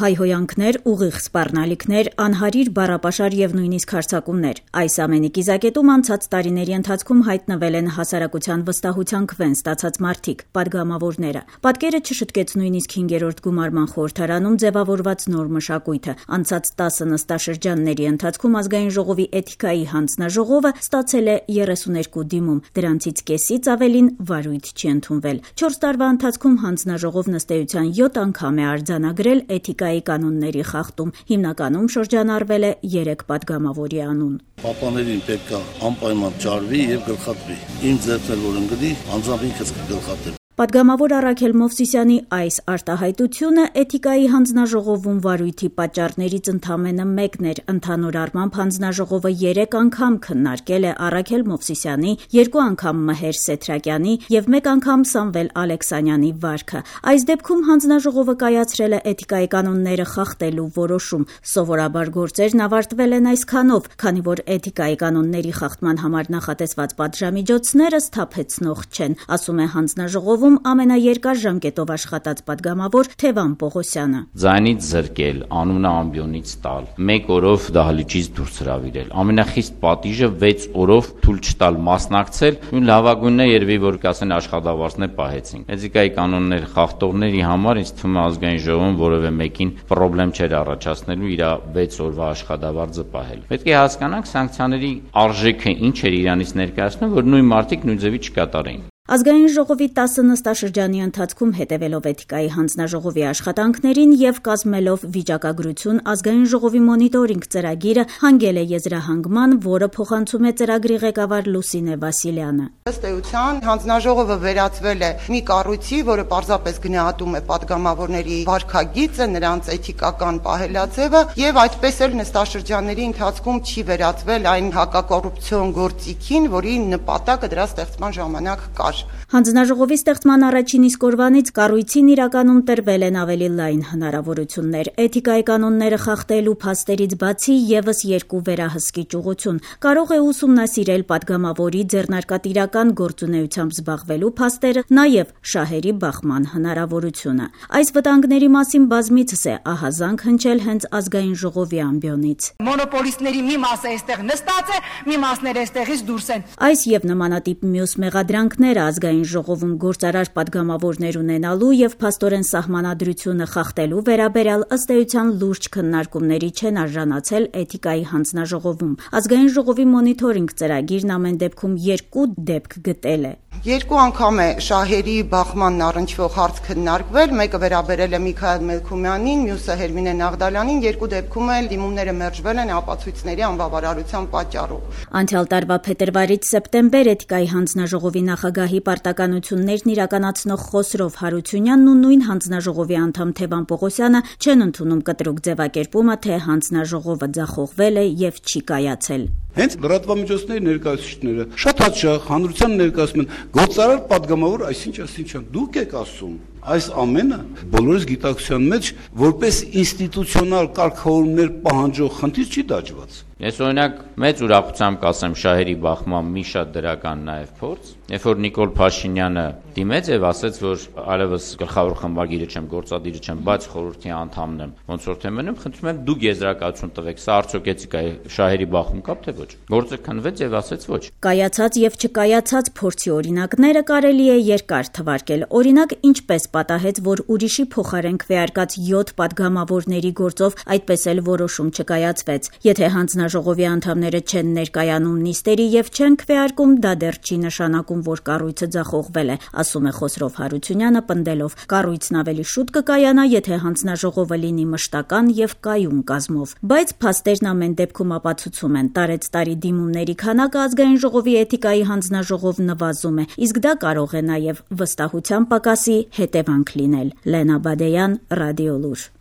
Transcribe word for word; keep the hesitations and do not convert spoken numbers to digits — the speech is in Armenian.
Հայհոյանքներ, ուղիղ սպառնալիքներ, անհարիր բառապաշար եւ նույնիսկ հարձակումներ։ Այս ամենի կիզակետում անցած տարիների ընթացքում հայտնվել են հասարակության վստահության քվեն ստացած մարդիկ, պատգամավորները։ Պատկերը չշտկեց նույնիսկ հինգերորդ գումարման խորհրդարանում ձևավորված նոր մշակույթը։ Անցած տասը նստաշրջանների ընթացքում ազգային ժողովի էթիկայի հանձնաժողովը ստացել է երեսուներկու դիմում, դրանցից կեսից ավելին վարույթ չի ընդունվել։ Չորս տարվա ընթացքում հանձնաժողովն ըստ էության յոթ անգամ է արձանագրել էթիկայի կանոնների խախտում, հիմնականում շրջանառվել է երեք պատգամավորի անուն։ Պապաներին պետք է անպայման ջարվի եւ գլխատվի։ Իմ ձեռքն որ ընկնի, անձամբ ինքս կգլխատեմ։ Պատգամավոր Արաքել Մովսիսյանի այս արտահայտությունը էթիկայի հանձնաժողովում վարույթի պատճառներից ընդամենը մեկն էր։ Ընդհանուր առմամբ հանձնաժողովը երեք անգամ քննարկել է Արաքել Մովսիսյանի, երկու անգամ Մհեր Սեթրակյանի եւ մեկ անգամ Սամվել Ալեքսանյանի վարքը։ Այս դեպքում հանձնաժողովը կայացրել է էթիկայի կանոնները խախտելու որոշում։ Սովորաբար գործերն ավարտվել են այսքանով, քանի որ էթիկայի կանոնների խախտման համար նախատեսված պատժամիջոցները սթափեցնող չեն, ասում է հանձնաժողովը ամենաերկար ժամկետով աշխատած պատգամավոր Թևան Պողոսյանը։ Ձայնից զրկել, անունը ամբիոնից տալ, մեկ օրով դահլիճից դուրս հրավիրել, ամենախիստ պատիժը վեց օրով թույլ չտալ մասնակցել, ու լավագույնն է երևի որ կասեն աշխատավարձներ պահեցին։ Էթիկայի կանոններ խախտողների համար ինձ թվում է ազգային ժողովում որևէ մեկին խնդրեմ չէր առաջացնելու իր վեց օրվա աշխատավարձը պահել։ Պետք է հասկանանք սանկցիաների արժեքը ինչ էր իրանից ներկայացնում, որ նույն մարդիկ նույն ձևի չկատարեին։ Ազգային ժողովի տասը նստաշրջանի ընթացքում հետևելով էթիկայի հանձնաժողովի աշխատանքներին եւ կազմելով վիճակագրություն ազգային ժողովի մոնիտորինգ ծրագիրը հանգել է եզրահանգման, որը փոխանցում է ծրագրի ղեկավար Լուսինե Վասիլյանը։ Ըստ էության հանձնաժողովը վերածվել է մի կառույցի, որը պարզապես գնահատում է պատգամավորների վարքագիծը, նրանց էթիկական պահելաձևը եւ այդպես էլ նստաշրջանների ընթացքում չի վերածվել այն հակակոռուպցիոն գործիքին, որի նպատակը դրա ստեղծման ժամանակ կար։ Հանձնաժողովի ստեղծման առաջին իսկ օրվանից կառույցին իրականում տրվել են ավելի լայն հնարավորություններ։ Էթիկայի կանոնները խախտելու փաստերից բացի եւս երկու վերահսկիչ ուղղություն։ Կարող է ուսումնասիրել պատգամավորի ձեռնարկատիրական գործունեությամբ զբաղվելու փաստերը, նաեւ շահերի բախման հնարավորությունը։ Այս վտանգների մասին բազմիցս է ահազանգ հնչել հենց ազգային ժողովի ամբիոնից։ Մոնոպոլիստների մի մասը այստեղ նստած է, մի մասները այստեղից դուրս են։ Այս եւ նմանատիպ մյուս մեղադրանքները ազգային ժողովում գործարար պատգամավորներ ունենալու եւ փաստորեն սահմանադրությունը խախտելու վերաբերյալ ըստ էության լուրջ քննարկումների չեն արժանացել էթիկայի հանձնաժողովում։ Ազգային ժողովի մոնիտորինգ ծրագիրն ամեն դեպքում երկու դեպք գտել է։ Երկու անգամ է շահերի բախմանն առնչվող հարց քննարկվել, մեկը վերաբերել է Միքայել Մելքումյանին, մյուսը Հերմինե Նաղդալյանին, երկու դեպքում էլ դիմումները մերժվել են ապացույցների անբավարարության պատճառով։ Անցյալ տարվա փետրվարից սեպտեմբեր էթիկայի հանձնաժողովի նախագահի պարտականություններն իրականացնող Խոսրով Հարությունյանն ու նույն հանձնաժողովի անդամ Թևան Պողոսյանը չեն ընդունում կտրուկ ձևակերպումը, թե հանձնաժողովը ձախողվել է եւ չի կայացել։ Հենց լրատվամիջոցների ներկայացուցիչները շատ հաճախ հանրության ներկայացում են գործարար պատգամավոր այսինչ այսինչ դուք եք ասում։ Այս ամենը բոլորիս գիտակցության մեջ որպես ինստիտուցիոնալ կարգավորումներ պահանջող խնդիր չի դաջված։ Ես օրինակ մեծ ուրախությամբ կասեմ շահերի բախման մի շատ դրական նաև փորձ, երբ որ Նիկոլ Փաշինյանը դիմեց եւ ասաց, որ այլևս գլխավոր խմբագիրը չեմ, գործադիրը չեմ, բայց խորհրդի անդամն եմ, ոնց որ թե մնում, խնդրում եմ դուք եզրակացություն տվեք, սա արդյոք էթիկայի շահերի բախում կա թե ոչ։ Գործը քննվեց եւ ասաց ոչ։ Կայացած եւ չկայացած փորձի օրինակները կարելի է երկար թվարկել։ Օրինակ, ինչպես պատահեց, որ ուրիշի փոխարեն քվեարկած յոթ պատգամավորների գործով այդպես էլ որոշում չկայացվեց։ Եթե հանձնաժողովի անդամները չեն ներկայանում նիստերի եւ չեն քվեարկում, դա դեռ չի նշանակում, որ կառույցը ձախողվել է, ասում է Խոսրով Հարությունյանը, պնդելով. կառույցն ավելի շուտ կկայանա, եթե հանձնաժողովը լինի մշտական եւ կայուն կազմով։ Բայց փաստերն ամեն դեպքում ապացուցում են, տարեց տարի դիմումների քանակը ազգային ժողովի էթիկայի հանձնաժողով նվազում է, իսկ դա կարող է նաեւ վստահության պակասի հետևանք լինել։ Լենա Բադեյան, Ռադիոլուր։